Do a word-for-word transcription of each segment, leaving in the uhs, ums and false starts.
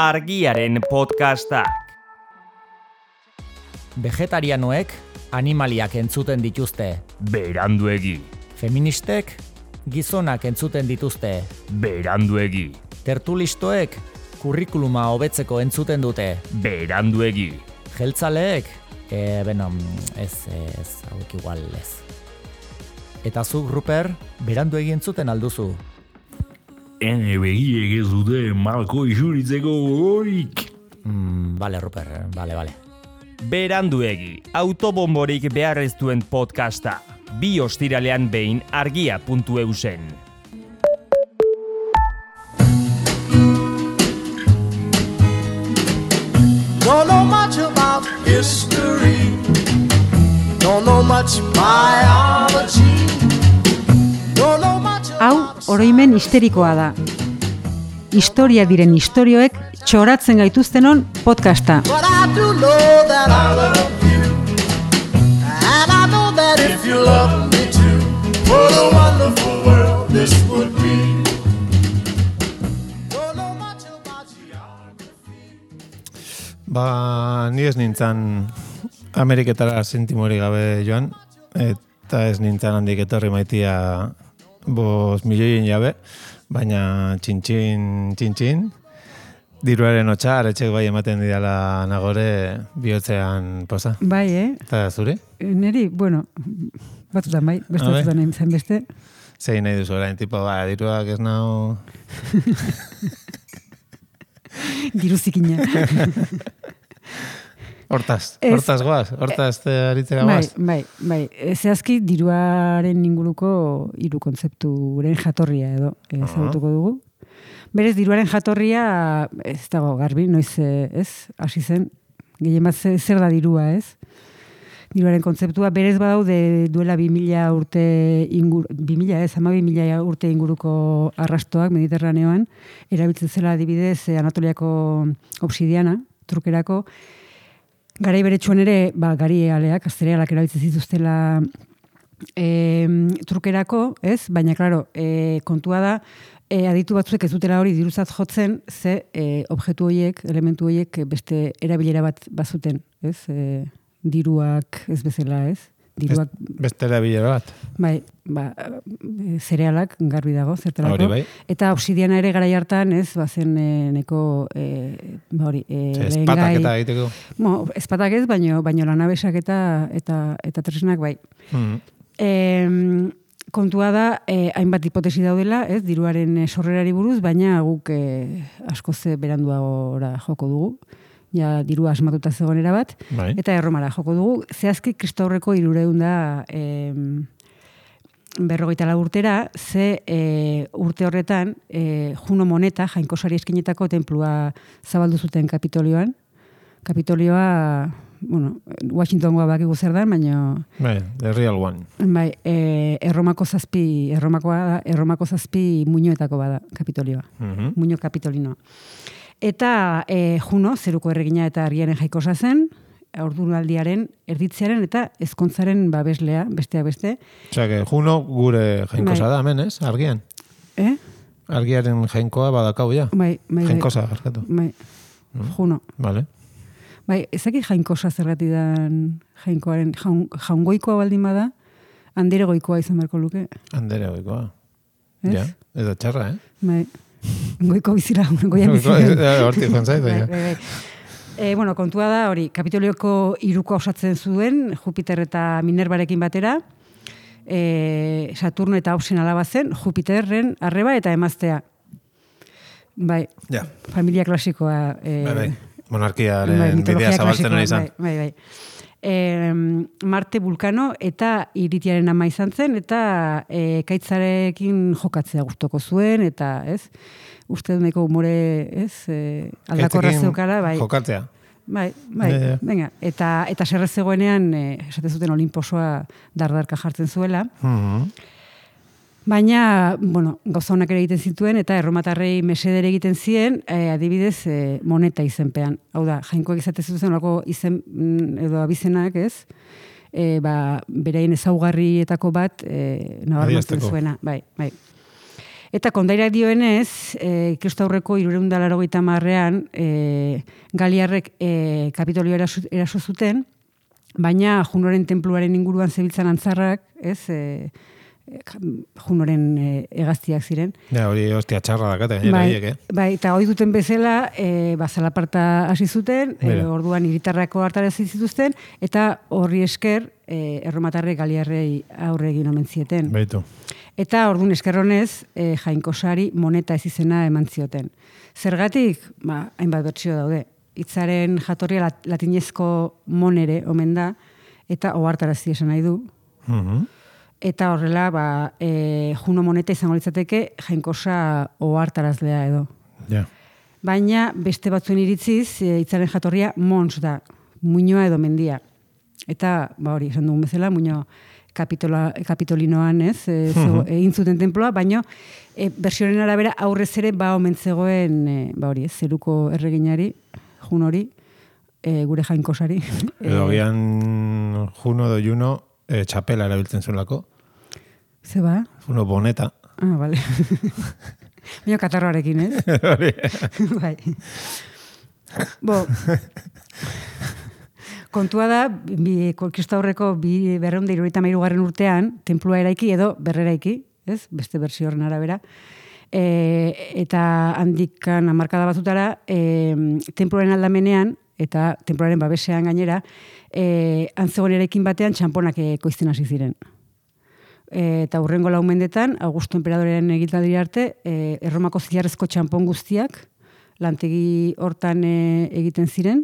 Argiaren podcastak. Vegetarianoek animaliak entzuten dituzte. Beranduegi. Feministek gizonak entzuten dituzte. Beranduegi. Tertulistoek kurrikuluma hobetzeko entzuten dute. Beranduegi. Jeltzaleek, e, beno, ez, ez, hauek igual ez. Eta zuk, Ruper, beranduegi entzuten alduzu. Ene begiek ez dute malko isuritzeko gogorik. Mm, bale, Ruper, bale, bale. Beranduegi, autobomborik behar ez duen podcasta. Bi ostiralean behin argia puntu eusen. Don't know much about history. Don't know much biology. Don't know much about... Hau, oroimen histerikoa da. Historia diren istorioek txoratzen gaituztenon podcasta. But I do know that I love you. And I know that if you love me too, what a wonderful world this would be. Don't know much about geography. Ba, ni ez nintzen Ameriketara sentimori gabe joan, eta ez nintzen handik etorri maitia bos milioien jabe, baina txintxin, txintxin, diruaren hotxa, aretxek bai ematen didala nagore bihotzean poza. Bai, eh? Eta zuri? Neri, bueno, batzutan bai, beste batzutan nahi zen beste. Zein nahi duzu orain, tipo, ba, diruak ez nau... Diru zikina. Hortaz, Ez- hortaz goaz, hortaz te aritzera Bai, goaz. bai, bai. Zehazki diruaren inguruko hiru kontzepturen jatorria edo ezagutuko dugu. Berez, diruaren jatorria ez dago garbi, noiz eh, ez, hasi zen, gehien bat ze- zer da dirua, ez? Diruaren kontzeptua, berez badaude duela bi mila urte ingur, bi mila ez, ama bi mila urte inguruko arrastoak Mediterraneoan, erabiltzen zela adibidez eh, Anatoliako obsidiana, trukerako, garai beretsuan ere, ba, gari aleak, asterealak erabiltzen zituztela e, trukerako, ez? Baina, klaro, e, kontua da, e, aditu batzuek ez dutela hori diruzat jotzen, ze e, objektu horiek, elementu horiek beste erabilera bat bazuten, ez? E, diruak ez bezala, ez? Diruak, Beste erabilera bat. bai, ba, e, zerealak garbi dago, zertarako. Hori bai. Eta obsidiana ere garai hartan, ez, bazen e, neko, e, ba hori, e, Espatak lehengai- eta egiteko. Mo, espatak ez, baino, baino lanabesak eta, eta, eta tresnak bai. Mm. E, kontua da, eh, hainbat hipotesi daudela, ez, diruaren eh, sorrerari buruz, baina guk eh, askoz beranduagora joko dugu. Ja, dirua asmatuta zegoen bat, Bai. eta Erromara joko dugu. Zehazki Kristaurreko hirureun da eh, berrogeita lau urtera, ze eh, urte horretan eh, Juno Moneta, jainkosari eskinetako tenplua zabaldu zuten Kapitolioan. Kapitolioa, bueno, Washingtongoa bakigu zer da, baina Bai, the real one. bai, e, Erromako zazpi, Erromakoa da, Erromako zazpi muinoetako bada Kapitolioa. Mhm. Muino kapitolinoa. Eta e, Juno, zeruko erregina eta argiaren jaikosa zen, orduraldiaren, erditzearen eta ezkontzaren babeslea, besteak beste. Osea, que Juno gure jainkosa Bai. da hemen, ez? Argian. Eh? Argiaren jainkoa badakau ja. Bai, bai, bai. Jainkosa, barkatu. Bai, Juno. Vale. Bai, ezaki jainkosa zergatik dan jainkoaren, jaun, jaungoikoa baldin bada, handere goikoa izan beharko luke. Andere goikoa. Ez? Ja, ez da txarra, eh? Bai, goiko bizira, goian bizira. Goikoa, hortik joan zait, Bai, baina. bai, bai. E, bueno, kontua da, hori, Kapitolioko hiruko osatzen zuen, Jupiter eta Minervarekin batera, e, Saturno eta Obsen alaba zen, Jupiterren arreba eta emaztea. Bai, Ja, familia klasikoa. E, bai, bai. Monarkiaren bai, bidea mitologia zabaltzen klasikoa, ari izan. Bai, bai, bai. E, Marte Vulkano eta Iritiaren ama izan zen, eta e, kaitzarekin jokatzea gustoko zuen, eta ez, uste dut nahiko umore, ez, e, aldakorra Gaitzekin zeukala, bai. Jokatzea. Bai, bai, Ja, ja. venga. Eta, eta serrez zegoenean, e, esaten zuten Olimposoa dardarka jartzen zuela. Mhm. Baina, bueno, gauza honak ere egiten zituen, eta erromatarrei mesedere egiten zien, eh, adibidez, eh, moneta izenpean. Hau da, jainkoak izate zuten olako izen mm, edo abizenak, ez? E, ba, berein ezaugarrietako bat e, nabarmentzen Adierazteko. zuena. Bai, bai. Eta kondairak dioenez, e, kristaurreko hirurehun eta laurogeita hamarrean e, galiarrek e, Kapitolio eraso, eraso zuten, baina Junoren tenpluaren inguruan zebiltzan antzarrak, ez, e, Junoren e, hegaztiak ziren. Ja, hori hostia txarra dakate, gainera, Bai, haiek, eh? bai, eta hori duten bezala, e, ba, zalaparta hasi zuten, e, Mira. orduan hiritarrako hartarazi zituzten, eta horri esker e, erromatarrek galiarrei aurre egin omen zieten. Baitu. Eta orduan eskerronez, e, jainkosari moneta ez izena eman zioten. Zergatik, ba, hainbat bertsio daude. Hitzaren jatorria lat, latinezko monere omen da, eta ohartarazi esan nahi du. Mhm. Eta horrela, ba, e, Juno moneta izango litzateke jainkosa ohartarazlea edo. Ja. Baina beste batzuen iritziz, e, hitzaren jatorria mons da, muinoa edo mendia. Eta, ba hori, esan dugun bezala, muino kapitola, kapitolinoan, ez, e, zego, egin zuten tenploa, baina e, bersioaren arabera aurrez ere ba omen zegoen, e, ba hori, ez, zeruko erreginari, Junori, e, gure jainkosari. Edo gian Juno edo Juno e, txapela erabiltzen zuelako. Ze ba? Juno boneta. Ah, bale. Baina katarroarekin, ez? Hori. Bai. Bo, kontua da, bi, kristaurreko bi berreunda hirurogeita hamairugarren urtean, tenplua eraiki edo berreraiki, ez? Beste bersio horren arabera. E, eta handikan hamarkada batzutara, e, tenpluaren aldamenean, eta tenpluaren babesean gainera, e, antzegoen eraikin batean txamponak ekoizten hasi ziren. E, eta hurrengo lau mendetan, Augusto Enperadorearen egitaldi arte, e, Erromako zilarrezko txampon guztiak lantegi hortan e, egiten ziren,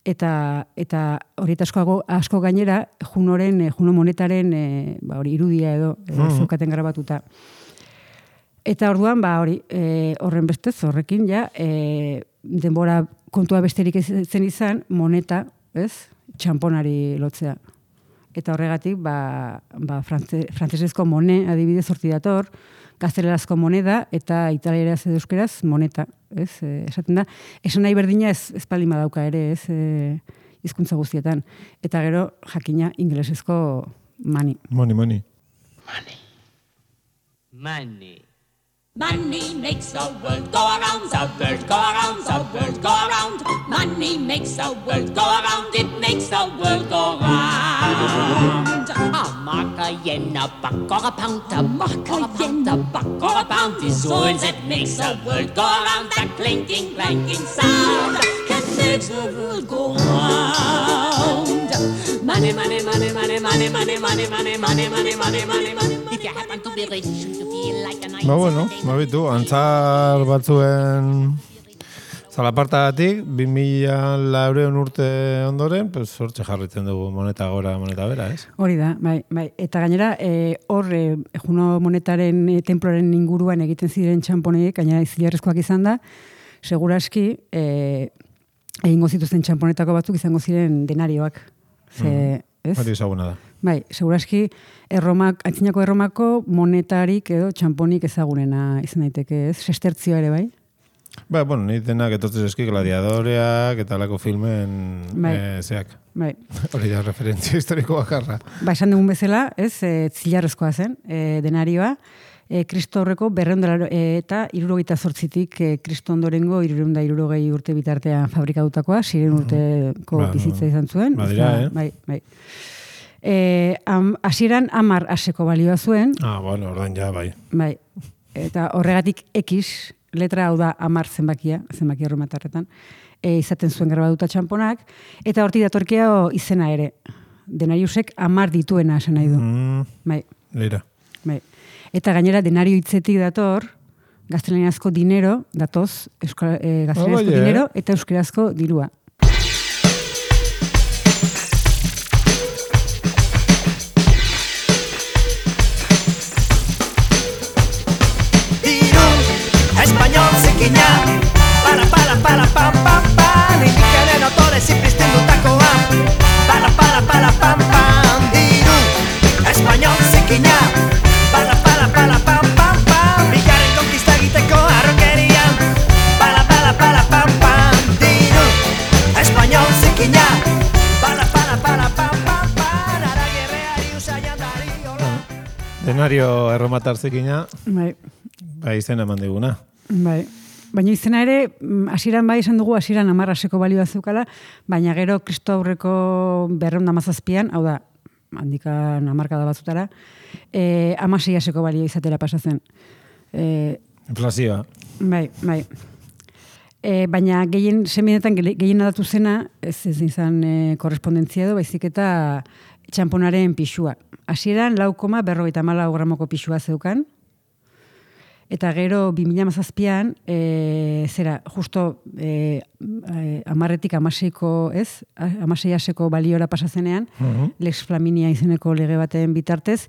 eta eta horietasko asko gainera Junoren, e, Juno monetaren e, ba, hori, irudia edo e, Mhm. zeukaten grabatuta. Eta orduan, ba, hori, e, horren bestez, horrekin, ja, e, denbora kontua besterik ez zen izan, moneta, ez, txamponari lotzea. Eta horregatik, ba, ba frantze, frantzesezko mone, adibidez horti dator, gaztelerazko moneda, eta italieraz edo euskeraz moneta, ez, e, esaten da. Esan nahi berdina ez, ez palima dauka ere, ez, e, hizkuntza guztietan. Eta gero, jakina, ingelesezko mani. Moni, moni. Money. Money makes the world go around, the world go around, the world go around. Money makes the world go around, it makes the world go round. A mark, a yen, a buck, or a pound, a mark, a yen, a buck, or a pound is all that makes the world go around. That clinking, clanking sound that makes the world go round. Money, money, money, money, money, money, money, money, money, money, money, money, money. If you happen to be rich, you feel like a nice. Ba, bueno, ba, bitu, antzar batzuen zalapartagatik, bi mila laureun urte ondoren, pues, hortxe jarritzen dugu moneta gora, moneta bera, ez? Hori da, bai, bai. Eta gainera, e, hor, e, Juno monetaren e, tenploren inguruan egiten ziren txamponek, gainera zilarrezkoak izan da, seguraski, e, egingo zituzten txamponetako batzuk izango ziren denarioak. Ze, ez? Hori ezaguna da. Bai, seguraski, erromak, antzinako erromako monetarik edo txamponik ezagunena izan daiteke, ez? Sestertzioa ere, bai? Ba, bueno, ni denak etortzen eski gladiadoreak eta lako filmen Bai. eh, zeak. Bai. Hori da referentzia historiko bakarra. Ba, esan dugun bezala, ez, e, zilarrezkoa zen, e, denarioa, e, Kristo horreko berreunda eta hirurogeita zortzitik e, Kristo ondorengo hirureunda hirurogei urte bitartean fabrikatutakoa, ziren urteko Ba, bizitza izan zuen. badira, Ez da, eh? Bai, bai. E, am, hasieran amar aseko balioa zuen, Ah, bueno, ordan ja, bai. bai, eta horregatik X, letra hau da amar zenbakia, zenbakia erromatarretan, e, izaten zuen grabatuta txamponak, eta hortik datorkea izena ere. Denariusek amar dituena esan nahi du. Mm, Bai, Leira. bai. Eta gainera denario hitzetik dator, gaztelaniazko dinero, datoz, euskal, e, gaztelaniazko Oh, bai, eh? dinero, eta euskerazko dirua. Español zikina, para, para, para, pam, pam, pam. Indikaren autore ziprizten dutakoa, para, para, para, pam, pam. Diru, español zikina, para, para, para, pam, pam, pam. Bigarren konkista egiteko arrokerian, para, para, para, pam, pam. Diru, español zikina, para, para, para, pam, pam, pam. Aragirreari usaian dari hola. Denario erromatar zekina, Bai. bai izena eman diguna. Bai. Baina izena ere, hasieran bai esan dugu, hasieran amarraseko balioa zeukala, baina gero Kristo aurreko berreun da mazazpian, hau da, handikan amarkada batzutara, e, amaseiaseko balioa izatera pasatzen. E, Inflazioa. bai, bai. E, baina gehien, seminetan gehien adatu zena, ez ez izan e, korrespondentzia edo, baizik eta txamponaren pixua. Hasieran lau koma berrogeita hamalau gramoko pixua zeukan, eta gero bi mila hamazazpian, e, zera, justo e, e, amarretik amaseiko, ez? Amaseiaseko baliora pasazenean, uh-huh. Lex Flaminia izeneko lege baten bitartez,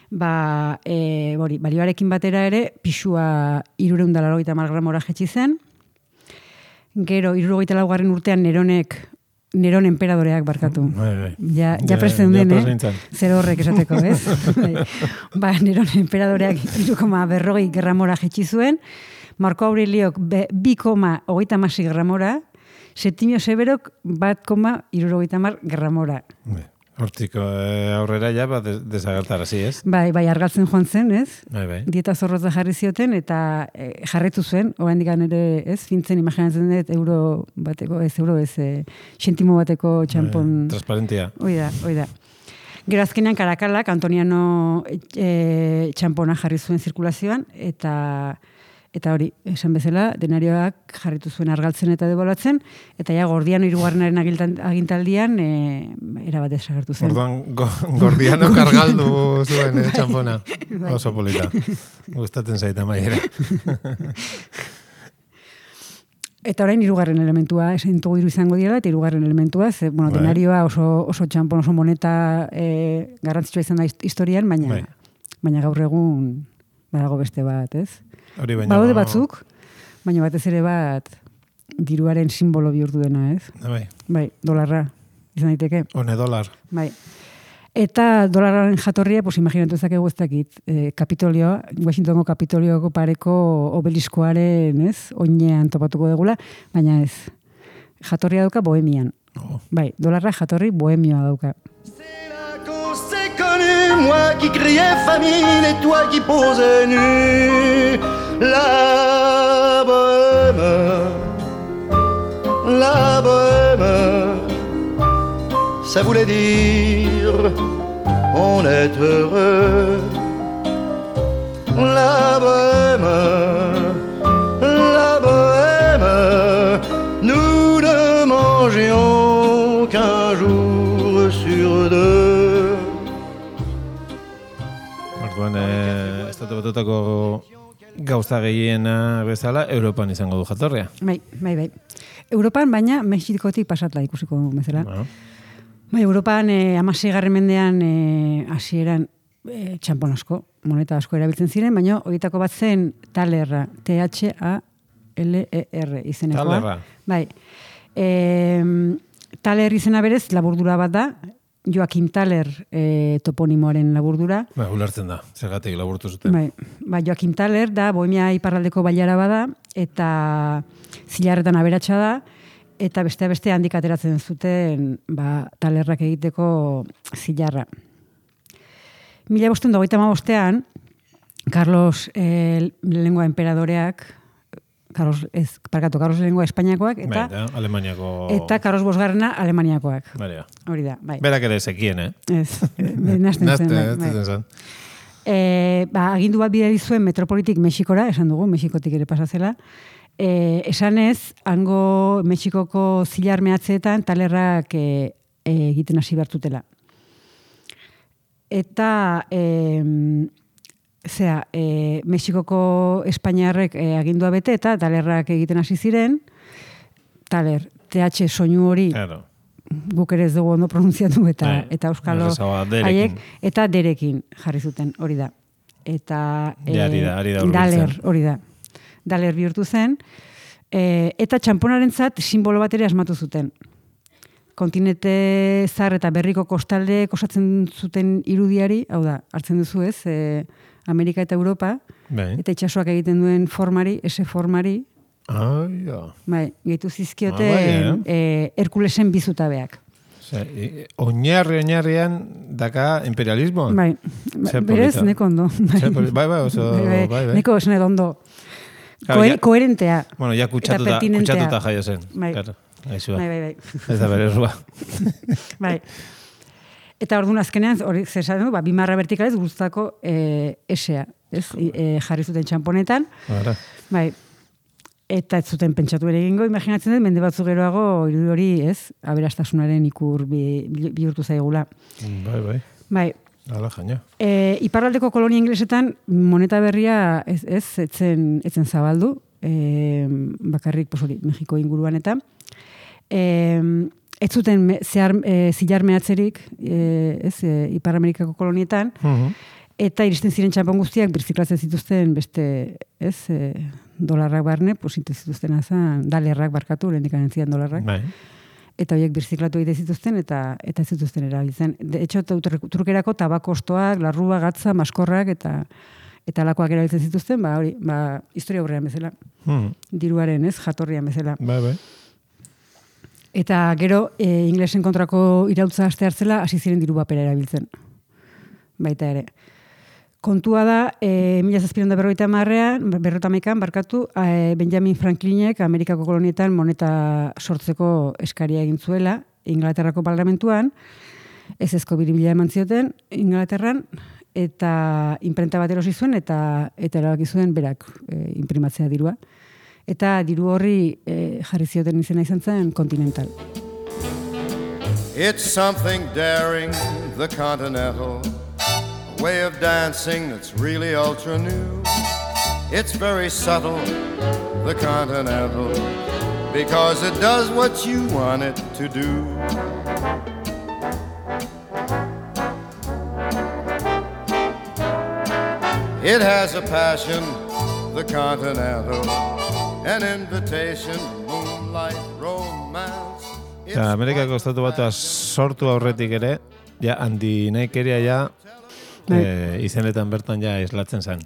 ba, e, bori, balioarekin batera ere, pixua hiruehun eta laurogeita hamar gramora jetzi zen. Gero, hirurogeita laugarren urtean Neronek, Neron enperadoreak barkatu. Bai, bai. Ja, ja presten den, eh? Zer horrek esateko, ez? Ba, Neron enperadoreak hiru koma berrogei gramora jetzi zuen, Marko Aureliok bi koma hogeita hamasei gramora, Septimio Severok bat koma hirurogeita hamar gramora. Hortiko eh, aurrera ja, ba, desagertarazi, ez? Bai, bai, argaltzen joan zen, ez? Bai, bai. Dieta zorrotza jarri zioten, eta e, jarretu zuen, oraindik ere, ez? Fintzen imaginatzen dut, euro bateko, ez euro, ez, e, xentimo bateko txampon. Bai, transparentia. Hoi da, hoi da. Gero azkenean Karakalak, Antoniano e, txampona jarri zuen zirkulazioan, eta... Eta hori, esan bezala, denarioak jarritu zuen argaltzen eta debolatzen, eta ja Gordiano hirugarrenaren agintaldian e, erabat desagertu zen. Orduan, go, Gordiano kargaldu zuen, eh, txampona. Oso polita. Gustatzen zaita maiera. Eta orain hirugarren elementua, esan dugu hiru izango dira, eta hirugarren elementua, ze, bueno, bai. Denarioa oso, oso txampon, oso moneta e, garrantzitsua izan da historian, baina, bai. Baina gaur egun badago beste bat, ez? Hori baina... Baude batzuk, baina batez ere bat diruaren simbolo bihurtu dena, ez? Bai. Bai, dolarra, izan daiteke. One dolar. Bai. Eta dolarraren jatorria, pues imaginatu ezakegu ez dakit, eh, Kapitolioa, Washingtongo Kapitolioko pareko obeliskoaren, ez? Oinean topatuko degula, baina ez. Jatorria dauka Bohemian. Oh. Bai, dolarra jatorri Bohemioa dauka. Moi qui criais famine et toi qui posais nu. La bohème, la bohème, ça voulait dire on est heureux. La bohème, la bohème, nous ne mangions qu'un jour sur deux. Orduan, eh, estatu batutako gauza gehiena bezala, Europan izango du jatorria. Bai, bai, bai. Europan, baina Mexikotik pasatla ikusiko bezala. Bueno. Bai, Europan eh, amaseigarren mendean eh, hasieran eh, txampon asko, moneta asko erabiltzen ziren, baina horietako bat zen talerra, T H A L E R izenekoa. Talerra. Bai. E, taler izena berez, laburdura bat da, Joakim Taler e, toponimoaren laburdura. Ba, ulertzen da, zergatik laburtu zuten. Bai, ba, Joakim Taler da, Bohemia iparraldeko bailara bada, eta zilarretan aberatsa da, eta beste beste handik ateratzen zuten ba, talerrak egiteko zilarra. Mila bosten dogeita hamabostean, Carlos eh, lehengoa emperadoreak, Carlos, ez, parkatu, Carlos lehengoa Espainiakoak, eta, Baita, Alemaniako... eta Carlos bosgarrena Alemaniakoak. Baina. Hori da, bai. Berak ere zekien, eh? Ez, nazten zen. Nazten zen. E, ba, agindu bat bidali zuen metropolitik Mexikora, esan dugu, Mexikotik ere pasazela. E, esan ez, hango Mexikoko zilar mehatzeetan talerrak e, e, egiten hasi behartutela. Eta... E, Zea, e, Mexikoko Espainiarrek e, agindua bete eta talerrak egiten hasi ziren, taler, T H soinu hori claro. Guk ere ez dugu ondo pronunziatu eta Ay, eta euskalo haiek eta derekin jarri zuten, hori da. Eta e, ja, ari da, ari da daler, hori da. Daler bihurtu zen, e, eta txamponarentzat simbolo bat ere asmatu zuten. Kontinente zar eta berriko kostalde osatzen zuten irudiari, hau da, hartzen duzu ez, e, Amerika eta Europa, bai. Eta itxasoak egiten duen formari, ese formari, ah, ja. Bai, gehitu zizkioten ah, bai, eh? e, Herkulesen bizutabeak. Osea, oinarri oinarrian daka imperialismo. Bai, berez, neko ondo. Bai, bai, bai, oso, bai, bai. Neko oso ondo. Claro, Koher, ya, koherentea. Bueno, ya kutsatuta, kutsatuta jaio zen. Bai. Claro, gaizua. Bai, bai, bai. Ez da bere errua. Bai. Eta orduan azkenean, hori zesan du, ba, bimarra vertikalez guztako e, esea, ez? E, jarri zuten txamponetan. Bara. Bai. Eta ez zuten pentsatu ere egingo, imaginatzen dut, mende batzu geroago, irudi hori, ez? Aberastasunaren ikur bi, bihurtu zaigula. Bai, bai. Bai. Hala, jaina. E, iparraldeko kolonia inglesetan moneta berria ez, ez etzen, etzen zabaldu, e, bakarrik posori, Mexiko inguruan eta. E, ez zuten me, zehar, e, zilar mehatzerik, e, ez, e, Ipar Amerikako kolonietan, Uh-huh. eta iristen ziren txampon guztiak birziklatzen zituzten beste, ez, e, dolarrak barne, pues zituzten azan, dalerrak barkatu, lehendik anentzian dolarrak. Bai. Eta horiek birziklatu egite zituzten eta eta ez zituzten erabiltzen. De hecho, trukerako tabakostoak, larrua, gatza, maskorrak eta eta alakoak erabiltzen zituzten, ba hori, ba historia aurrean bezala. Hmm. Diruaren, ez, jatorrian bezala. Bai, bai. Eta gero, e, inglesen kontrako irautza aste hartzela hasi ziren diru papera erabiltzen. Baita ere. Kontua da, e, mila zazpiehun eta berrogeita hamarrean, berrota hamaikan, barkatu, e, Benjamin Franklinek Amerikako kolonietan moneta sortzeko eskaria egin zuela, Inglaterrako parlamentuan, ez ezko biribila eman zioten Inglaterran, eta imprenta bat erosi zuen, eta, eta erabaki zuen berak e, imprimatzea dirua. Eta diru horri e, jarri zioten izena izan zen Continental. It's something daring, the Continental, a way of dancing that's really ultra new. It's very subtle, the Continental, because it does what you want it to do. It has a passion, the Continental, an invitation, moonlight, romance. Eta Amerikako estatu batua sortu aurretik ere, ja, handinaikeria ja, e, izenetan bertan ja islatzen zen.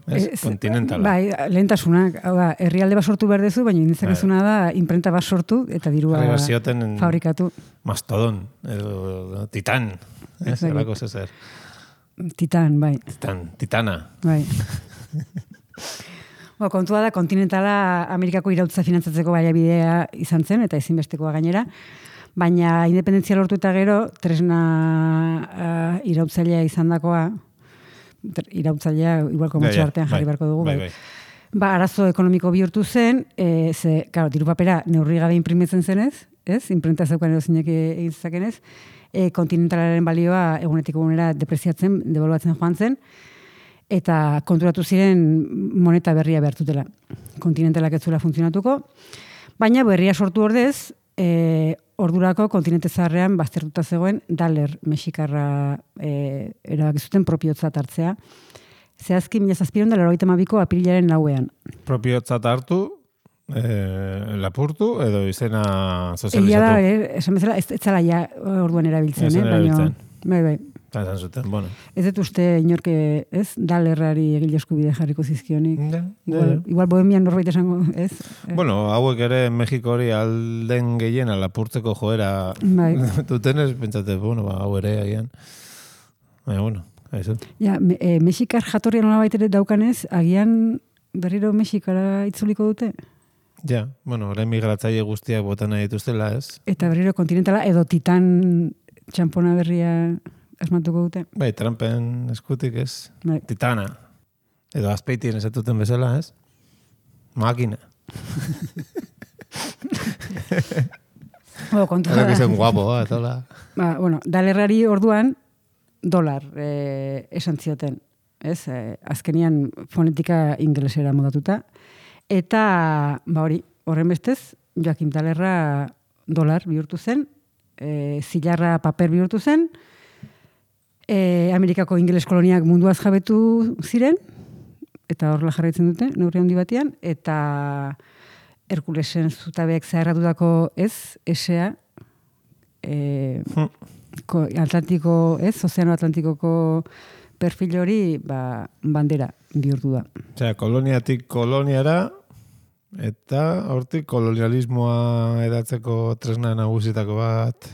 Ez? Ez, Kontinentala. Bai, lehentasunak, hau da, herrialde bat sortu behar dezu, baina inditzakezuna da imprenta bat sortu eta dirua Arriba zioten fabrikatu. Mastodon, edo Titan, ez? Exacto. Elako zezer. Titan, bai. Titan, Titana. Bai. Bo, kontua da, Continentala Amerikako irautza finantzatzeko baliabidea izan zen, eta ezinbestekoa gainera, baina independentzia lortu eta gero, tresna uh, irautzailea izan dakoa, irautzailea igual komotxo Ja, ja, artean jarri bai, beharko dugu, bai, bai. bai. Ba, arazo ekonomiko bihurtu zen, e, ze, claro, diru papera neurri gabe imprimitzen zenez, ez? Imprenta zeukan erozinek egin zezakenez, e, Continentalaren balioa egunetik egunera depreziatzen, devaluatzen joan zen, eta konturatu ziren moneta berria behartutela. Continentalak ez zuela funtzionatuko, baina berria sortu ordez, e, ordurako kontinente zaharrean baztertuta zegoen daler mexikarra e, erabaki zuten propiotzat hartzea. Zehazki, mila zazpiehun eta laurogeita hamabiko apirilaren lauean. Propiotzat hartu, eh, lapurtu, edo izena Egia da, sozializatu. eh, esan bezala, ez, ez zala ja orduan erabiltzen, Ez eh? zen Baina, erabiltzen. bai, bai. Eta esan zuten, bueno. Ez dut uste inorke, ez, dalerrari egile eskubide jarriko zizkionik. Ja, Igual, ja. igual bohemian norbait esango, ez? Eh, Bueno, hauek ere Mexiko hori alden gehiena lapurtzeko joera Bai. dutenez, pentsate, bueno, ba, hau ere agian. Baina, bueno, haizu. Ja, me, e, Mexikar jatorria nolabait ere daukanez, agian berriro Mexikara itzuliko dute? Ja, bueno, orain migratzaile guztiak botan nahi dituztela, ez? Eta berriro kontinentala edo titan txampona berria asmatuko dute? Bai, Trumpen eskutik, ez? Bai. Titana. Edo azpeitien esatuten bezala, ez? Makina. Bueno, kontua Eta da. zen guapo, eta hola. Ba, bueno, dalerrari orduan dolar eh, esan zioten, ez? Eh, azkenian fonetika ingelesera modatuta. Eta, ba hori, horren bestez, Joakim Dalerra dolar bihurtu zen, e, zilarra paper bihurtu zen, e, Amerikako ingeles koloniak munduaz jabetu ziren, eta horrela jarraitzen dute, neurri handi batean, eta Herkulesen zutabeek zaharratutako ez, esea, e, ko, Atlantiko, ez, Ozeano Atlantikoko perfil hori, ba, bandera bihurtu da. Osea, koloniatik koloniara, eta hortik kolonialismoa edatzeko tresna nagusitako bat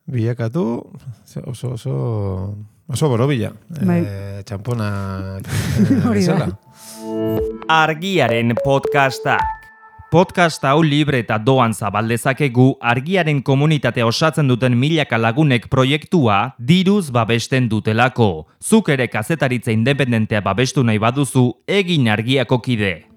bilakatu oso oso oso borobila. Bai. E, txampona Hori da. Argiaren podcastak. Podcast hau libre eta doan zabal dezakegu Argiaren komunitatea osatzen duten milaka lagunek proiektua diruz babesten dutelako. Zuk ere kazetaritza independentea babestu nahi baduzu, egin Argiako kide.